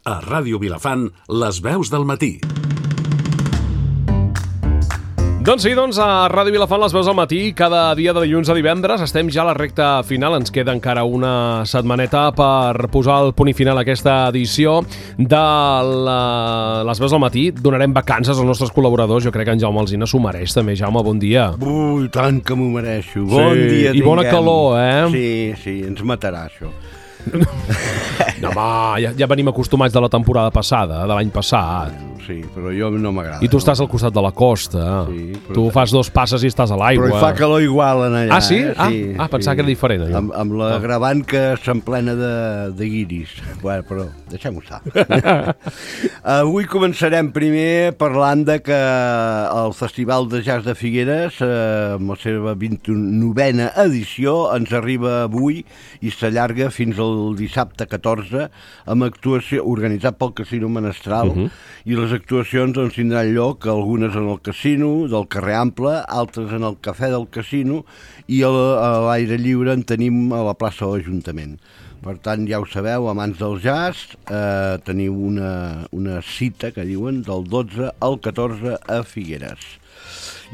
A Ràdio Vilafant, les veus del matí. Doncs sí, a Ràdio Vilafant, les veus al matí, cada dia de dilluns a divendres. Estem ja a la recta final, ens queda encara una setmaneta per posar el punt i final a aquesta edició de les veus al matí. Donarem vacances als nostres col·laboradors, jo crec que en Jaume Alsina s'ho mereix també. Jaume, bon dia. Ui, tant que m'ho mereixo. Bon dia, i bona calor, Sí, ens matarà això. No, home, ja venim acostumats de la temporada passada, de l'any passat. Sí, però jo no m'agrada. I tu estàs al costat de la costa. Sí, però... Tu fas dos passes i estàs a l'aigua. Però hi fa calor igual en allà. Ah, sí? Sí, pensava que era diferent. Amb l'agravant que s'emplena de guiris. Bueno, però deixem-ho estar. Avui començarem primer parlant de que el Festival de Jazz de Figueres, amb la seva 29a edició, ens arriba avui i s'allarga fins al dissabte 14, amb actuació organitzat pel Casino Menestral, i les actuacions doncs, tindran lloc, algunes en el casino del carrer Ample, altres en el cafè del casino, i a l'aire lliure en tenim a la plaça de l'Ajuntament. Per tant, ja ho sabeu, amants del jazz, teniu una cita, que diuen, del 12 al 14 a Figueres.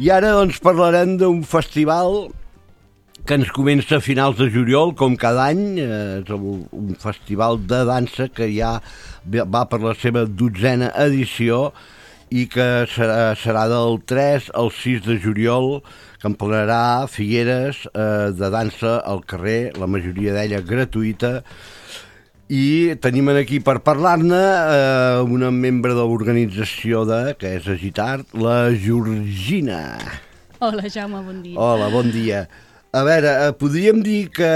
I ara doncs, parlarem d'un festival que ens comença a finals de juliol, com cada any. És un festival de dansa que ja va per la seva 12a edició i que serà del 3 al 6 de juliol, que emplenarà Figueres de dansa al carrer, la majoria d'ella gratuïta. I tenim aquí per parlar-ne una membre de l'organització que és Agitart, la Georgina. Hola, Jaume, bon dia. Hola, bon dia. A veure, podríem dir que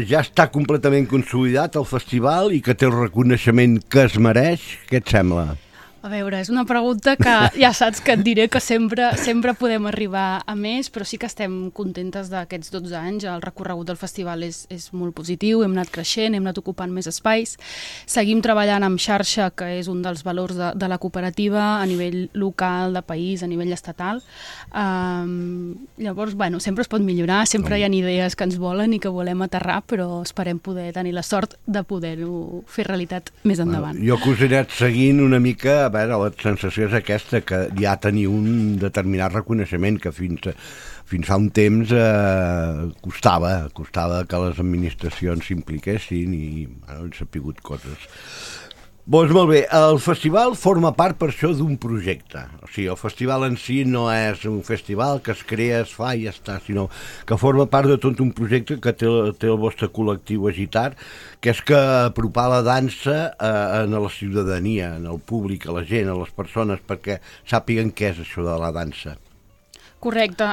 ja està completament consolidat el festival i que té el reconeixement que es mereix? Què et sembla? A veure, és una pregunta que ja saps que et diré que sempre podem arribar a més, però sí que estem contentes d'aquests 12 anys. El recorregut del festival és molt positiu, hem anat creixent, hem anat ocupant més espais. Seguim treballant amb xarxa, que és un dels valors de la cooperativa a nivell local, de país, a nivell estatal. Llavors, bueno, sempre es pot millorar, sempre hi ha idees que ens volen i que volem aterrar, però esperem poder tenir la sort de poder-ho fer realitat més endavant. Jo que us he anat seguint una mica, a veure, la sensació és aquesta, que ja teniu un determinat reconeixement que fins fa un temps costava que les administracions s'impliquessin i han sapigut coses. Doncs molt bé, el festival forma part per això d'un projecte. O sigui, el festival en si no és un festival que es crea, es fa i ja està, sinó que forma part de tot un projecte que té el vostre col·lectiu Agitart, que és que apropar la dansa a la ciutadania, al públic, a la gent, a les persones, perquè sàpiguen què és això de la dansa. Correcte.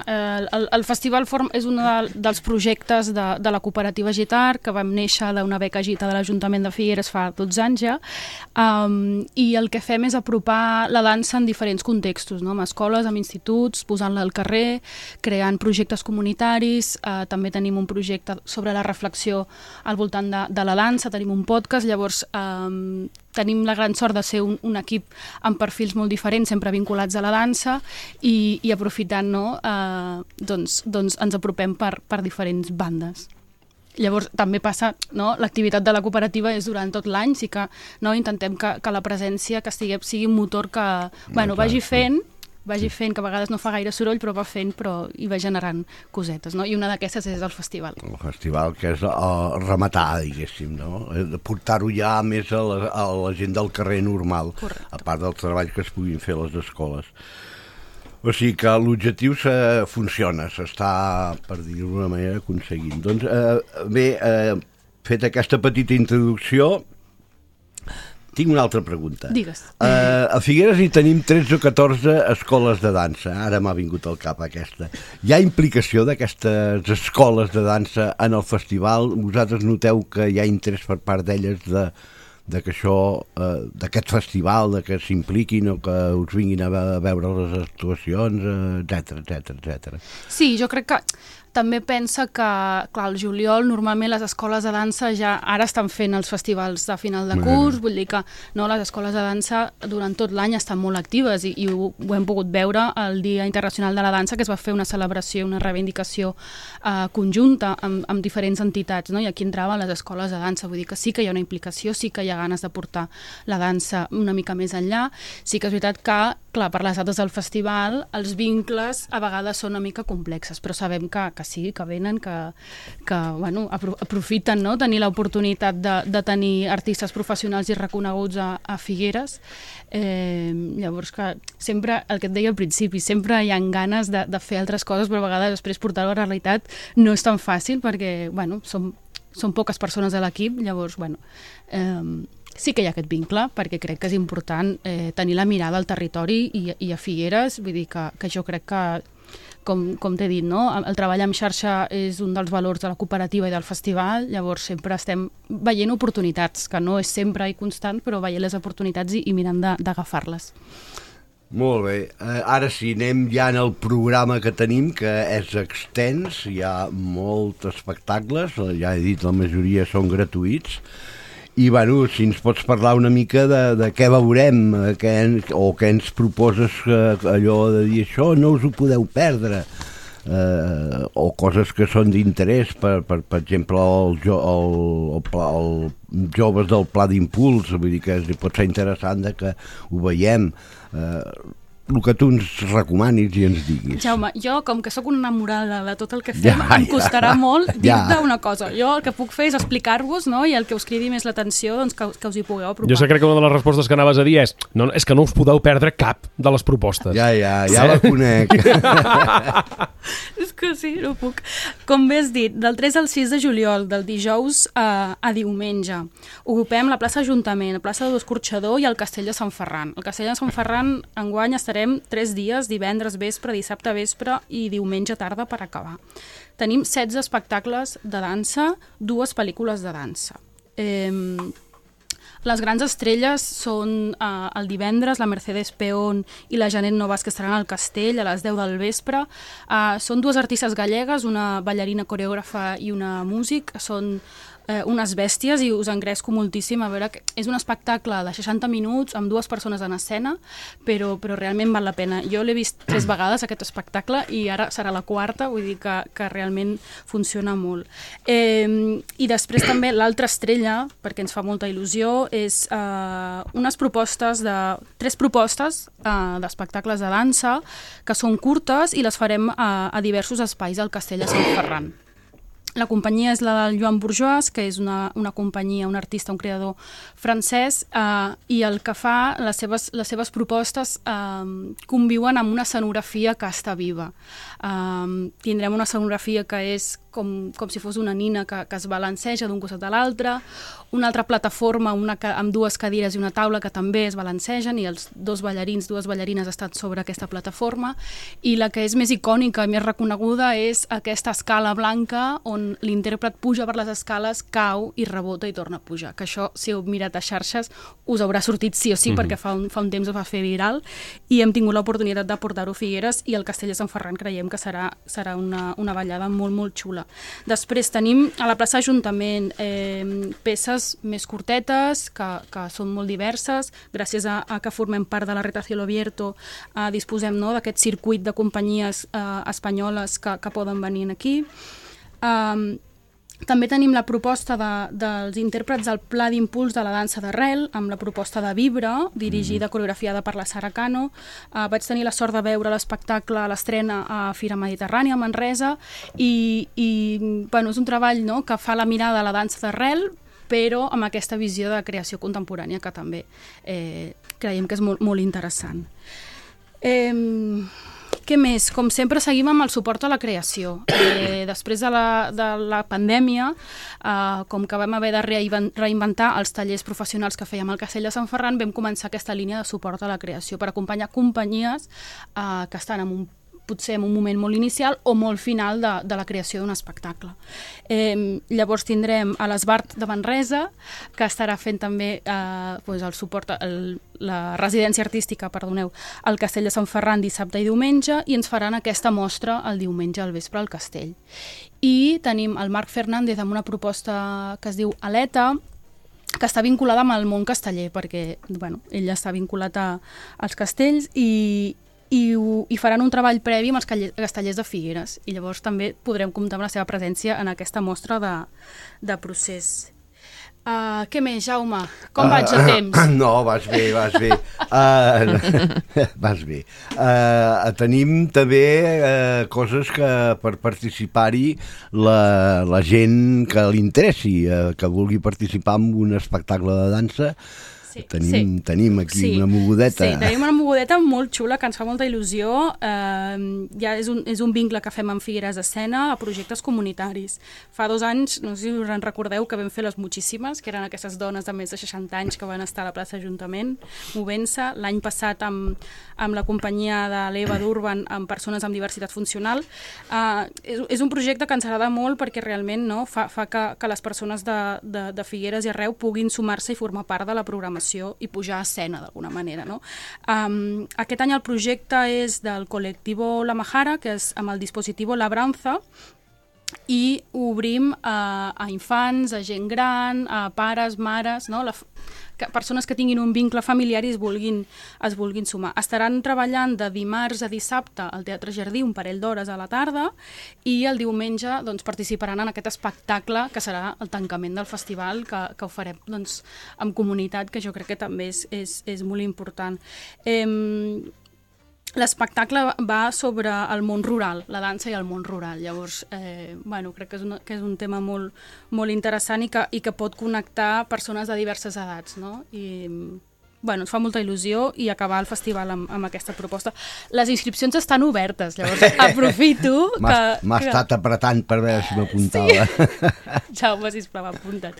El festival és un dels projectes de la cooperativa Agitart, que vam néixer d'una beca Agita de l'Ajuntament de Figueres fa 12 anys ja, i el que fem és apropar la dansa en diferents contextos, no? Amb escoles, amb instituts, posant-la al carrer, creant projectes comunitaris. També tenim un projecte sobre la reflexió al voltant de la dansa, tenim un podcast, llavors tenim la gran sort de ser un equip amb perfils molt diferents, sempre vinculats a la dansa, i aprofitant, doncs ens apropem per diferents bandes. Llavors també passa, l'activitat de la cooperativa és durant tot l'any, sí que intentem que la presència que sigui un motor que vagi fent, que a vegades no fa gaire soroll, però va fent i va generant cosetes, no? I una d'aquestes és el festival. El festival que és rematar, diguéssim, no? Portar-ho ja més a la gent del carrer normal. Correcte. A part del treball que es puguin fer a les escoles. O sigui que l'objectiu funciona, s'està, per dir-ho d'una manera, aconseguint. Doncs bé, fet aquesta petita introducció, tinc una altra pregunta. Digues. A Figueres hi tenim 13 o 14 escoles de dansa. Ara m'ha vingut al cap aquesta. Hi ha implicació d'aquestes escoles de dansa en el festival? Vosaltres noteu que hi ha interès per part d'elles d'aquest festival, que s'impliquin o que us vinguin a veure les actuacions, etcètera? Sí, jo crec que també pensa que, clar, al juliol normalment les escoles de dansa ja ara estan fent els festivals de final de curs, vull dir que no, les escoles de dansa durant tot l'any estan molt actives i ho hem pogut veure el Dia Internacional de la Dansa, que es va fer una celebració, una reivindicació conjunta amb diferents entitats, no? I aquí entraven les escoles de dansa, vull dir que sí que hi ha una implicació, sí que hi ha ganes de portar la dansa una mica més enllà, sí que és veritat que, clar, per les dates del festival els vincles a vegades són una mica complexes, però sabem que sí, que venen, que bueno, aprofiten, no?, tenir l'oportunitat de tenir artistes professionals i reconeguts a Figueres. Llavors, que sempre, el que et deia al principi, sempre hi ha ganes de fer altres coses, però a vegades després portar-ho a la realitat no és tan fàcil perquè, bueno, són poques persones a l'equip, llavors, bueno, sí que hi ha aquest vincle, perquè crec que és important tenir la mirada al territori i a Figueres, vull dir que jo crec que, com t'he dit, no? El treball en xarxa és un dels valors de la cooperativa i del festival, llavors sempre estem veient oportunitats, que no és sempre i constant, però veient les oportunitats i mirant d'agafar-les. Molt bé, ara sí, anem ja en el programa que tenim, que és extens, hi ha molts espectacles, ja he dit, la majoria són gratuïts, i bueno, si ens pots parlar una mica de què veurem, o què ens proposes, allò de dir això no us ho podeu perdre, o coses que són d'interès, per exemple els joves del Pla d'Impuls, vull dir que pot ser interessant que ho veiem, el que tu ens recomanis i ens diguis. Jaume, jo, com que sóc una enamorada de tot el que fem, em costarà molt dir-te una cosa. Jo el que puc fer és explicar-vos, no?, i el que us cridi més l'atenció, doncs que us hi pugueu apropar. Jo crec que una de les respostes que anaves a dir és que no us podeu perdre cap de les propostes. Ja la conec. És que sí, no puc. Com bé has dit, del 3 al 6 de juliol, del dijous a diumenge, ocupem la plaça Ajuntament, la plaça de l'Escorxador i el Castell de Sant Ferran. El Castell de Sant Ferran enguany estarem 3 dies, divendres vespre, dissabte vespre i diumenge tarda per acabar. Tenim 16 espectacles de dansa, 2 pel·lícules de dansa. Les grans estrelles són el divendres, la Mercedes Peón i la Janet Novas, que estaran al Castell a les 10 del vespre. Són 2 artistes gallegues, una ballarina coreògrafa i una músic, són unes bèsties i us engresco moltíssim a veure que és un espectacle de 60 minuts amb 2 persones en escena, però realment val la pena. Jo l'he vist 3 vegades aquest espectacle i ara serà la 4, vull dir que realment funciona molt. I després també l'altra estrella, perquè ens fa molta il·lusió, és unes propostes 3 propostes d'espectacles de dansa que són curtes i les farem a diversos espais del Castell de Sant Ferran. La companyia és la del Joan Bourgeois, que és una companyia, un artista, un creador francès, i el que fa, les seves propostes conviuen amb una escenografia que està viva. Tindrem una escenografia que és com si fos una nina que es balanceja d'un costat a l'altre, una altra plataforma amb 2 cadires i una taula que també es balancegen i els 2 ballarins, 2 ballarines estan sobre aquesta plataforma, i la que és més icònica i més reconeguda és aquesta escala blanca on l'intèrpret puja per les escales, cau i rebota i torna a pujar, que això, si heu mirat a xarxes, us haurà sortit sí o sí, perquè fa un temps es va fer viral i hem tingut l'oportunitat de portar-ho a Figueres, i el Castell de Sant Ferran creiem que serà una ballada molt, molt xula. Després tenim a la plaça Ajuntament peces més curtetes que són molt diverses, gràcies a que formem part de la Reta Cielo Abierto, disposem d'aquest circuit de companyies espanyoles que poden venir aquí. També tenim la proposta dels intèrprets del Pla d'Impuls de la dansa d'arrel, amb la proposta de Vibra, dirigida, coreografiada per la Sara Cano. Vaig tenir la sort de veure l'espectacle a l'estrena a Fira Mediterrània, a Manresa, i és un treball que fa la mirada a la dansa d'arrel, però amb aquesta visió de creació contemporània que també creiem que és molt, molt interessant. Què més? Com sempre seguim amb el suport a la creació. Després de la pandèmia, com que vam haver de reinventar els tallers professionals que fèiem al Castell de Sant Ferran, vam començar aquesta línia de suport a la creació per acompanyar companyies que estan en un potser en un moment molt inicial o molt final de la creació d'un espectacle. Llavors tindrem a l'Esbart de Manresa, que estarà fent també el suport, la residència artística, perdoneu, al Castell de Sant Ferran dissabte i diumenge, i ens faran aquesta mostra el diumenge al vespre al castell. I tenim el Marc Fernández amb una proposta que es diu Aleta, que està vinculada amb el món casteller, perquè ell està vinculat als castells i faran un treball previ amb els castellers de Figueres, i llavors també podrem comptar amb la seva presència en aquesta mostra de procés. Què més, Jaume? Com vaig a temps? No, vas bé. Vas bé. Tenim també coses que per participar-hi la gent que li interessi, que vulgui participar en un espectacle de dansa. Tenim aquí una mogudeta. Sí, tenim una mogudeta molt xula que ens fa molta il·lusió. Ja és un vincle que fem amb Figueres Escena a projectes comunitaris. Fa 2 anys, no sé si us en recordeu, que vam fer les Muchíssimes, que eren aquestes dones de més de 60 anys que van estar a la plaça Ajuntament movent-se. L'any passat amb la companyia de l'Eva d'Urban, amb persones amb diversitat funcional. És un projecte que ens agrada molt perquè realment fa que les persones de Figueres i arreu puguin sumar-se i formar part de la programació i pujar a escena d'alguna manera. Aquest any el projecte és del col·lectiu La Majara, que és amb el dispositiu Labranza, i obrim a infants, a gent gran, a pares, mares, persones que tinguin un vincle familiar i es vulguin sumar. Estaran treballant de dimarts a dissabte al Teatre Jardí un parell d'hores a la tarda, i el diumenge participaran en aquest espectacle que serà el tancament del festival, que ho farem amb comunitat, que jo crec que també és molt important. L'espectacle va sobre el món rural, la dansa i el món rural. Llavors, crec que és un tema molt, molt interessant i que pot connectar persones de diverses edats, no? I ens fa molta il·lusió i acabar el festival amb aquesta proposta. Les inscripcions estan obertes, llavors aprofito que... M'ha estat apretant per veure si m'apuntava. Sí. Jaume, sisplau, apunta't.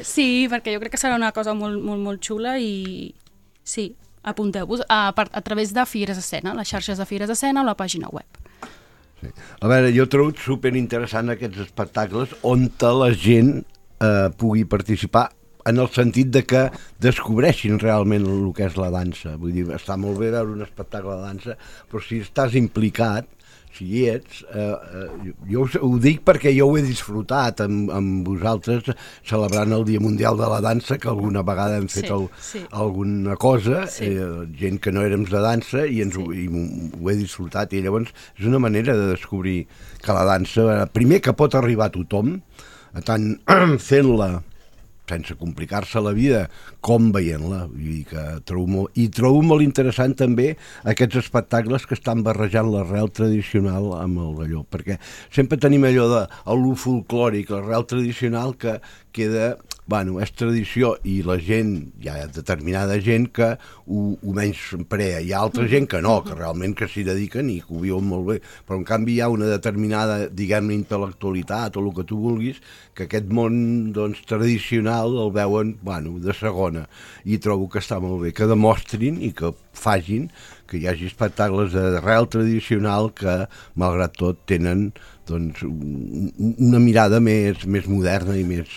Sí, perquè jo crec que serà una cosa molt, molt, molt xula i sí, apunteu-vos a través de Figueres Escena, les xarxes de Figueres Escena o la pàgina web. Sí. A veure, jo trobo superinteressant aquests espectacles on la gent pugui participar, en el sentit de que descobreixin realment el que és la dansa. Vull dir, està molt bé veure un espectacle de dansa, però si estàs implicat, si hi ets, jo ho dic perquè jo ho he disfrutat amb vosaltres celebrant el Dia Mundial de la Dansa, que alguna vegada hem fet alguna cosa, gent que no érem de dansa, i ho he disfrutat, i llavors és una manera de descobrir que la dansa, primer, que pot arribar a tothom, tant fent-la sense complicar-se la vida, com veient-la. Trobo molt interessant també aquests espectacles que estan barrejant l'arrel tradicional amb el d'allò, perquè sempre tenim allò de lo folclòric, l'arrel tradicional que queda, és tradició, i la gent, hi ha determinada gent que ho menysprea, hi ha altra gent que no, que realment que s'hi dediquen i que ho viuen molt bé, però en canvi hi ha una determinada, diguem-ne, intel·lectualitat o el que tu vulguis, que aquest món tradicional el veuen de segona, i trobo que està molt bé que demostrin i que facin que hi hagi espectacles d'arrel tradicional que, malgrat tot, tenen una mirada més moderna i més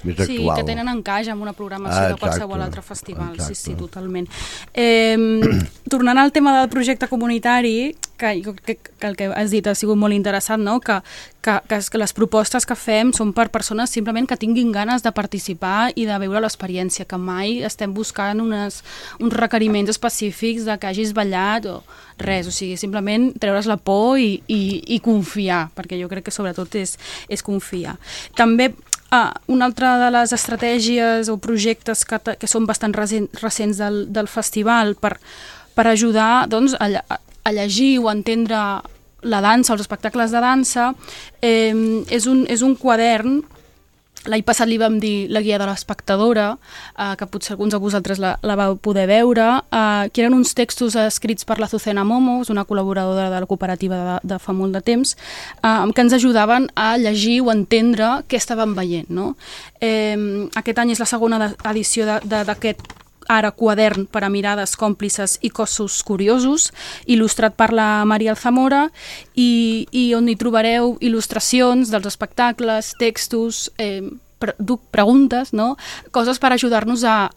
actual. Sí, que tenen encaix amb una programació de qualsevol altre festival. Exacte. Sí, totalment. Tornant al tema del projecte comunitari, que el que has dit ha sigut molt interessant, no? que les propostes que fem són per persones simplement que tinguin ganes de participar i de veure l'experiència, que mai estem buscant uns requeriments específics de que hagis ballat o res, o sigui, simplement treure's la por i confiar, perquè jo crec que sobretot és confiar. També una altra de les estratègies o projectes que són bastant recents del festival per ajudar a llegir o entendre la dansa, els espectacles de dansa, és un quadern. L'any passat li vam dir la guia de l'espectadora, que potser alguns de vosaltres la vau poder veure, que eren uns textos escrits per l'Azucena Momo, una col·laboradora de la cooperativa de fa molt de temps, que ens ajudaven a llegir o entendre què estàvem veient, no? Aquest any és la segona edició d'aquest ara quadern per a mirades còmplices i cossos curiosos, il·lustrat per la Maria Alzamora, i on hi trobareu il·lustracions dels espectacles, textos, preguntes, no? Coses per ajudar-nos a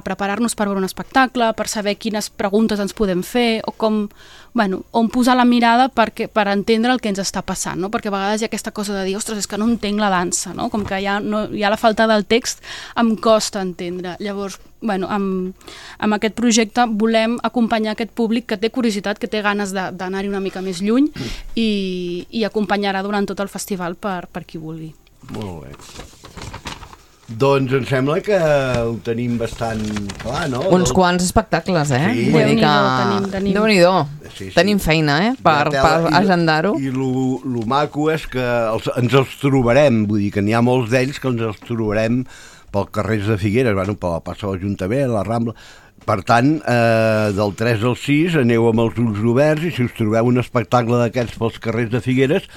preparar-nos per veure un espectacle, per saber quines preguntes ens podem fer, o com, on posar la mirada per entendre el que ens està passant, no? Perquè a vegades hi ha aquesta cosa de dir, ostres, és que no entenc la dansa, no? Com que hi ha la falta del text, em costa entendre. Llavors, amb aquest projecte volem acompanyar aquest públic que té curiositat, que té ganes d'anar-hi una mica més lluny, i acompanyarà durant tot el festival per qui vulgui. Molt bé. Doncs em sembla que ho tenim bastant clar, no? Uns quants espectacles, Sí. Vull dir que... Tenim. Déu-n'hi-do. Sí. Tenim feina, per agendar-ho. I lo maco és que ens els trobarem, vull dir que n'hi ha molts d'ells que ens els trobarem pel carrers de Figueres, per la plaça de l'Ajuntament, la Rambla. Per tant, del 3 al 6 aneu amb els ulls oberts, i si us trobeu un espectacle d'aquests pels carrers de Figueres,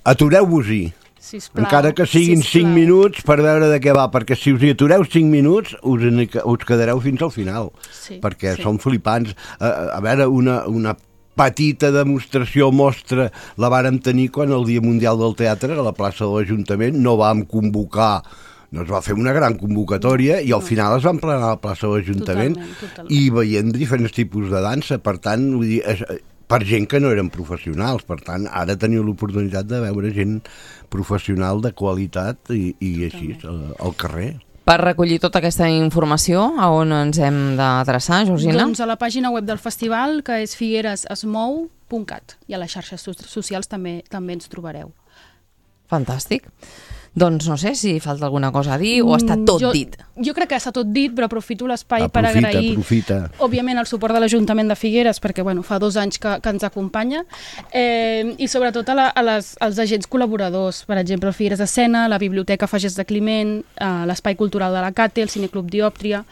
atureu-vos-hi. Sisplau, encara que siguin 5 minuts per veure de què va, perquè si us hi atureu 5 minuts us quedareu fins al final, perquè són flipants. A veure, una petita demostració mostra la vàrem tenir quan el Dia Mundial del Teatre a la plaça de l'Ajuntament no vam convocar, no es va fer una gran convocatòria, i al final es van plenar a la plaça de l'Ajuntament i veient diferents tipus de dansa. Per tant, vull dir, per gent que no eren professionals. Per tant, ara teniu l'oportunitat de veure gent professional de qualitat i així, al carrer. Per recollir tota aquesta informació, a on ens hem d'adreçar, Georgina? Doncs a la pàgina web del festival, que és figueresesmou.cat, i a les xarxes socials també ens trobareu. Fantàstic. Doncs no sé si falta alguna cosa a dir o està tot dit. Jo crec que està tot dit, però aprofito l'espai per agrair, òbviament, el suport de l'Ajuntament de Figueres, perquè fa 2 anys que ens acompanya, i sobretot als agents col·laboradors, per exemple, el Figueres Escena, la Biblioteca Fagers de Climent, l'Espai Cultural de la Cate, el Cineclub Diòptria,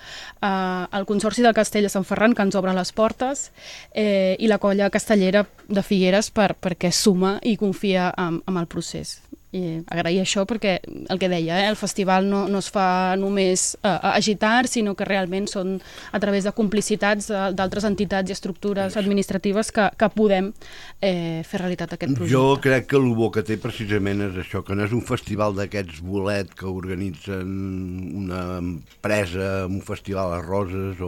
el Consorci del Castell de Sant Ferran, que ens obre les portes, i la colla castellera de Figueres perquè suma i confia en el procés. I agrair això perquè el que deia, el festival no es fa només agitar, sinó que realment són a través de complicitats d'altres entitats i estructures administratives que podem fer realitat aquest projecte. Jo crec que el bo que té precisament és això, que no és un festival d'aquests bolet que organitzen una empresa, un festival a Roses,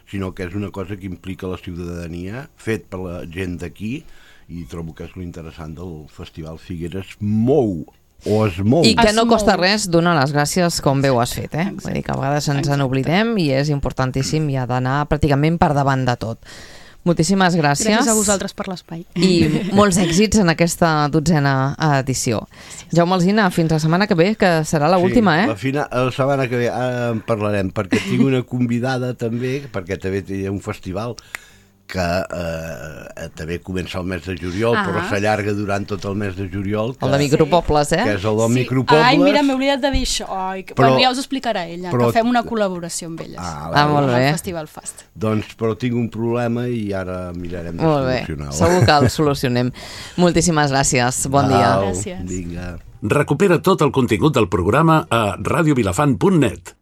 sinó que és una cosa que implica la ciutadania, fet per la gent d'aquí, i trobo que és l'interessant del Festival Figueres. Es mou. I que no costa res donar les gràcies com bé ho has fet, Vull dir que a vegades ens n'oblidem i és importantíssim i ha d'anar pràcticament per davant de tot. Moltíssimes gràcies. Gràcies a vosaltres per l'espai. I molts èxits en aquesta 12a edició. Jaume Alsina, fins la setmana que ve, que serà l'última, La setmana que ve en parlarem, perquè tinc una convidada també, perquè també té un festival que també comença el mes de juliol, però s'allarga durant tot el mes de juliol. El de Micropobles, Que és el de Micropobles. Ai, mira, m'he oblidat de dir això. Ja us ho explicarà ella, que fem una col·laboració amb elles. Molt bé. El Festival Fast. Doncs, però tinc un problema i ara mirarem de solucionar-ho. Segur que el solucionem. Moltíssimes gràcies. Bon dia. Gràcies. Vinga. Recupera tot el contingut del programa a radiovilafant.net.